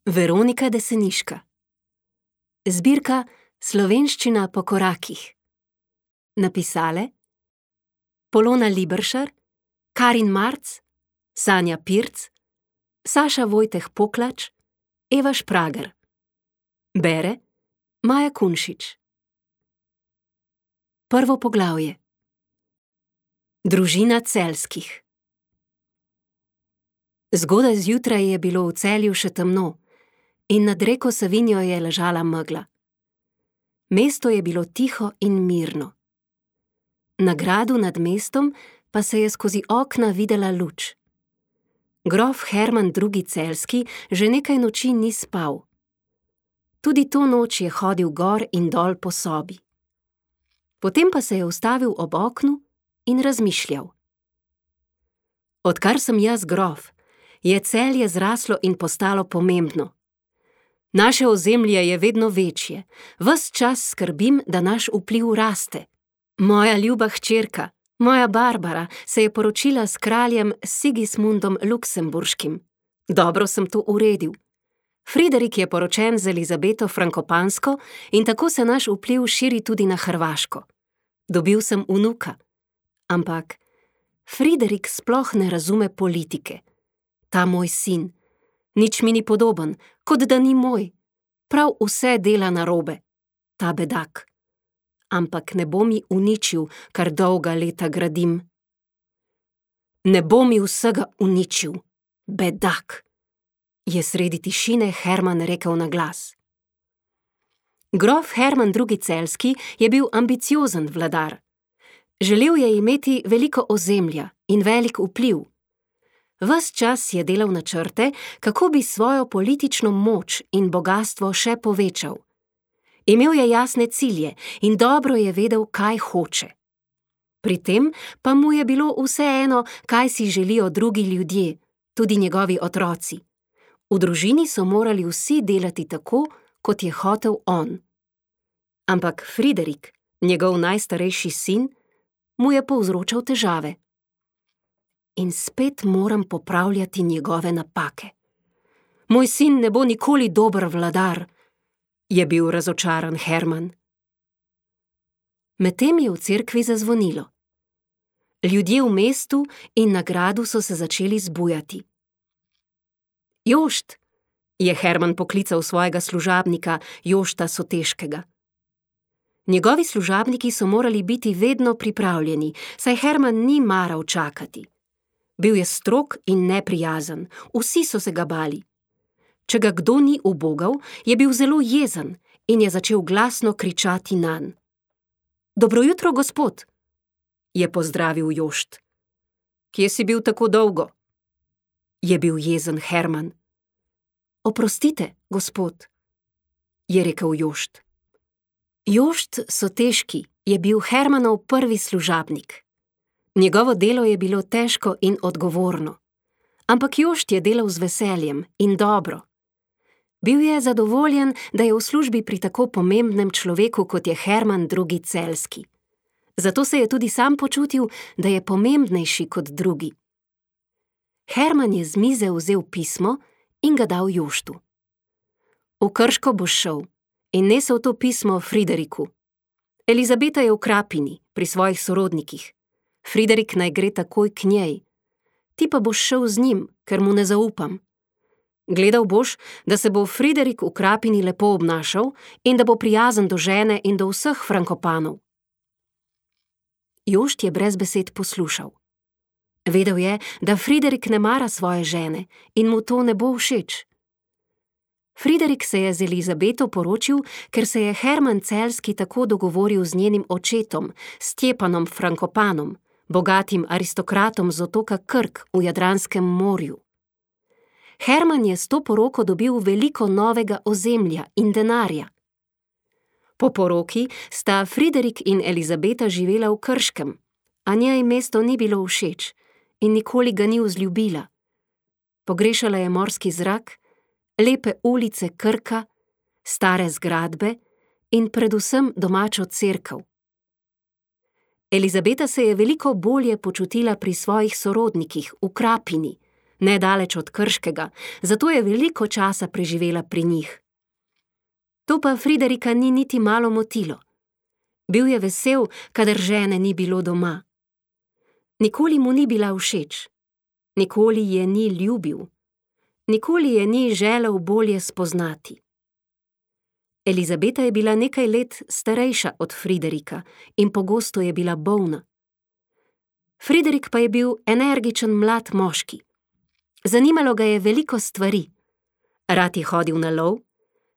Veronika Deseniška. Zbirka Slovenščina po korakih. Napisale Polona Liberšar, Karin Marc, Sanja Pirc, Saša Vojteh Poklač, Eva Šprager. Bere Maja Kunšič. Prvo poglavje. Družina Celjskih. Zgodaj zjutraj je bilo v Celju še temno in nad reko Savinjo je ležala megla. Mesto je bilo tiho in mirno. Na gradu nad mestom pa se je skozi okna videla luč. Grof Herman II. Celjski že nekaj noči ni spal. Tudi to noč je hodil gor in dol po sobi. Potem pa se je ustavil ob oknu in razmišljal. Odkar sem jaz grof, je Celje zraslo in postalo pomembno. Naše ozemlje je vedno večje, ves čas skrbim, da naš vpliv raste. Moja ljuba hčerka, moja Barbara, se je poročila s kraljem Sigismundom Luksemburškim. Dobro sem to uredil. Friderik je poročen z Elizabeto Frankopansko in tako se naš vpliv širi tudi na Hrvaško. Dobil sem vnuka. Ampak Friderik sploh ne razume politike. Ta moj sin. Nič mi ni podoben, kot da ni moj. Prav vse dela narobe. Ta bedak. Ampak ne bo mi uničil, kar dolga leta gradim. Ne bo mi vsega uničil. Bedak. Je sredi tišine Herman rekel na glas. Grof Herman II. Celjski je bil ambiciozen vladar. Želel je imeti veliko ozemlja in velik vpliv. Ves čas je delal načrte, kako bi svojo politično moč in bogastvo še povečal. Imel je jasne cilje in dobro je vedel, kaj hoče. Pri tem pa mu je bilo vseeno, kaj si želijo drugi ljudje, tudi njegovi otroci. V družini so morali vsi delati tako, kot je hotel on. Ampak Friderik, njegov najstarejši sin, mu je povzročal težave. In spet moram popravljati njegove napake. Moj sin ne bo nikoli dober vladar, je bil razočaran Herman. Medtem je v cerkvi zazvonilo. Ljudje v mestu in na gradu so se začeli zbujati. Jošt, je Herman poklical svojega služabnika, Jošta Soteškega. Njegovi služabniki so morali biti vedno pripravljeni, saj Herman ni maral čakati. Bil je strog in neprijazen, vsi so se ga bali. Če ga kdo ni ubogal, je bil zelo jezen in je začel glasno kričati nanj. Dobro jutro, gospod, je pozdravil Jošt. Kje si bil tako dolgo? Je bil jezen Herman. Oprostite, gospod, je rekel Jošt. Jošt Soteški je bil Hermanov prvi služabnik. Njegovo delo je bilo težko in odgovorno. Ampak Jošt je delal z veseljem in dobro. Bil je zadovoljen, da je v službi pri tako pomembnem človeku, kot je Herman II. Celjski. Zato se je tudi sam počutil, da je pomembnejši kot drugi. Herman je z mize vzel pismo in ga dal Joštu. V Krško boš šel in nesel to pismo Frideriku. Elizabeta je v Krapini, pri svojih sorodnikih. Friderik naj gre takoj k njej. Ti pa boš šel z njim, ker mu ne zaupam. Gledal boš, da se bo Friderik v Krapini lepo obnašal in da bo prijazen do žene in do vseh Frankopanov. Jošt je brez besed poslušal. Vedel je, da Friderik ne mara svoje žene in mu to ne bo všeč. Friderik se je z Elizabeto poročil, ker se je Herman Celjski tako dogovoril z njenim očetom, Stjepanom Frankopanom, bogatim aristokratom z otoka Krk v Jadranskem morju. Herman je s to poroko dobil veliko novega ozemlja in denarja. Po poroki sta Friderik in Elizabeta živela v Krškem, a njej mesto ni bilo všeč in nikoli ga ni vzljubila. Pogrešala je morski zrak, lepe ulice Krka, stare zgradbe in predvsem domačo cerkev. Elizabeta se je veliko bolje počutila pri svojih sorodnikih v Krapini, nedaleč od Krškega, zato je veliko časa preživela pri njih. To pa Friderika ni niti malo motilo. Bil je vesel, kadar žene ni bilo doma. Nikoli mu ni bila všeč. Nikoli je ni ljubil. Nikoli je ni želel bolje spoznati. Elizabeta je bila nekaj let starejša od Friderika in pogosto je bila bolna. Friderik pa je bil energičen mlad moški. Zanimalo ga je veliko stvari. Rad je hodil na lov,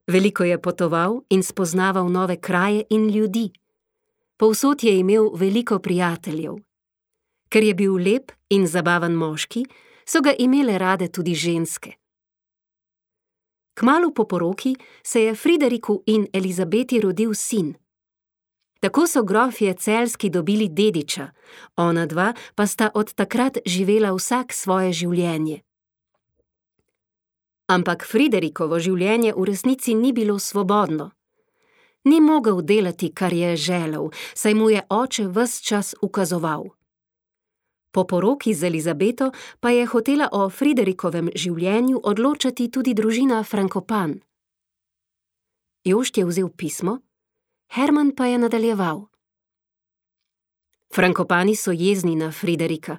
veliko je potoval in spoznaval nove kraje in ljudi. Povsod je imel veliko prijateljev. Ker je bil lep in zabaven moški, so ga imele rade tudi ženske. Kmalu po poroki se je Frideriku in Elizabeti rodil sin. Tako so grofje Celjski dobili dediča, ona dva pa sta od takrat živela vsak svoje življenje. Ampak Friderikovo življenje v resnici ni bilo svobodno. Ni mogel delati, kar je želel, saj mu je oče ves čas ukazoval. Po poroki z Elizabeto pa je hotela o Friderikovem življenju odločati tudi družina Frankopan. Jošt je vzel pismo, Herman pa je nadaljeval. Frankopani so jezni na Friderika.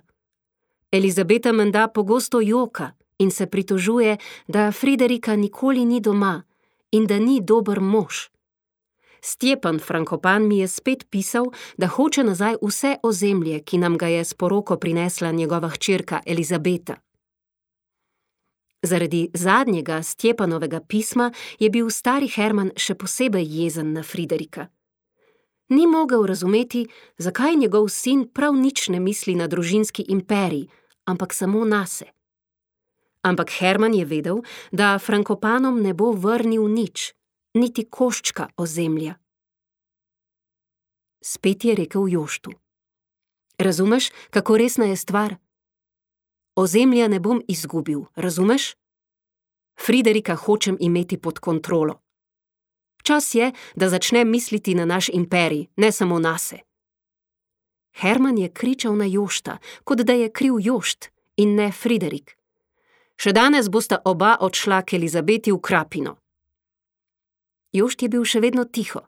Elizabeta menda pogosto joka in se pritožuje, da Friderika nikoli ni doma in da ni dober mož. Stjepan Frankopan mi je spet pisal, da hoče nazaj vse ozemlje, ki nam ga je s poroko prinesla njegova hčerka Elizabeta. Zaradi zadnjega Stjepanovega pisma je bil stari Herman še posebej jezen na Friderika. Ni mogel razumeti, zakaj njegov sin prav nič ne misli na družinski imperij, ampak samo nase. Ampak Herman je vedel, da Frankopanom ne bo vrnil nič, niti koščka ozemlja. Spet je rekel Joštu. Razumeš, kako resna je stvar? Ozemlja ne bom izgubil, razumeš? Friderika hočem imeti pod kontrolo. Čas je, da začnem misliti na naš imperij, ne samo nase. Herman je kričal na Jošta, kot da je kriv Jošt in ne Friderik. Še danes bosta oba odšla k Elizabeti v Krapino. Jošt je bil še vedno tiho.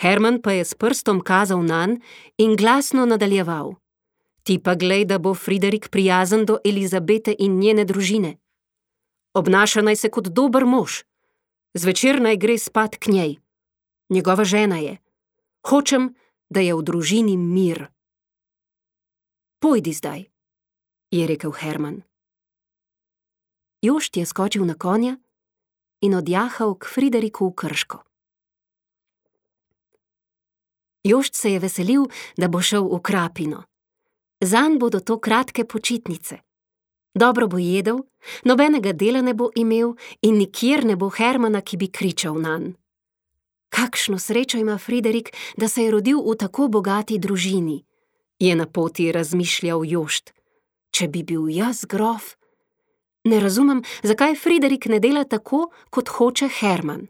Herman pa je s prstom kazal nanj in glasno nadaljeval. Ti pa glej, da bo Friderik prijazen do Elizabete in njene družine. Obnaša naj se kot dober mož. Zvečer naj gre spat k njej. Njegova žena je. Hočem, da je v družini mir. Pojdi zdaj, je rekel Herman. Jošt je skočil na konja in odjahal k Frideriku v Krško. Jošt se je veselil, da bo šel v Krapino. Zanj bodo to kratke počitnice. Dobro bo jedel, nobenega dela ne bo imel in nikjer ne bo Hermana, ki bi kričal nanj. Kakšno srečo ima Friderik, da se je rodil v tako bogati družini, je na poti razmišljal Jošt. Če bi bil jaz grof, ne razumem, zakaj Friderik ne dela tako, kot hoče Herman.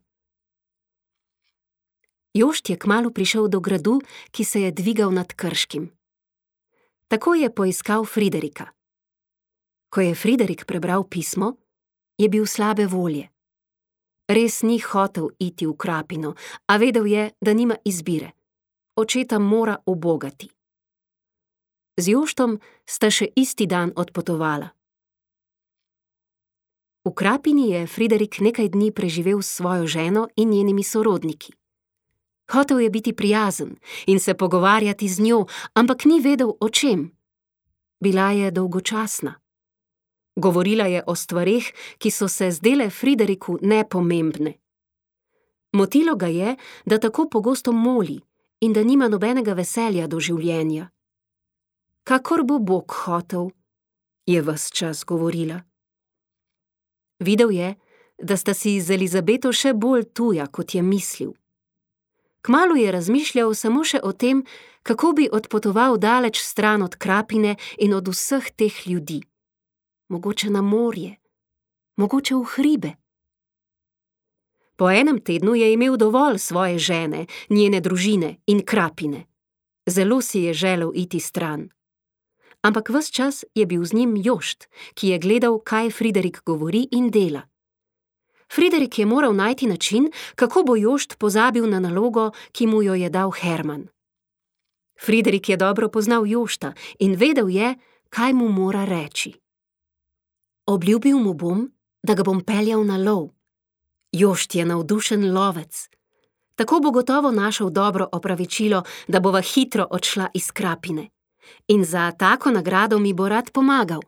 Jošt je kmalu prišel do gradu, ki se je dvigal nad Krškim. Tako je poiskal Friderika. Ko je Friderik prebral pismo, je bil slabe volje. Res ni hotel iti v Krapino, a vedel je, da nima izbire. Očeta mora ubogati. Z Joštom sta še isti dan odpotovala. V Krapini je Friderik nekaj dni preživel s svojo ženo in njenimi sorodniki. Hotel je biti prijazen in se pogovarjati z njo, ampak ni vedel o čem. Bila je dolgočasna. Govorila je o stvareh, ki so se zdele Frideriku nepomembne. Motilo ga je, da tako pogosto moli in da nima nobenega veselja do življenja. Kakor bo Bog hotel, je ves čas govorila. Videl je, da sta si z Elizabeto še bolj tuja, kot je mislil. Kmalu je razmišljal samo še o tem, kako bi odpotoval daleč stran od Krapine in od vseh teh ljudi. Mogoče na morje, mogoče v hribe. Po enem tednu je imel dovolj svoje žene, njene družine in Krapine. Zelo si je želel iti stran. ampak ves čas je bil z njim Jošt, ki je gledal, kaj Friderik govori in dela. Friderik je moral najti način, kako bo Jošt pozabil na nalogo, ki mu jo je dal Herman. Friderik je dobro poznal Jošta in vedel je, kaj mu mora reči. Obljubil mu bom, da ga bom peljal na lov. Jošt je navdušen lovec. Tako bo gotovo našel dobro opravičilo, da bova hitro odšla iz Krapine. In za tako nagrado mi bo rad pomagal.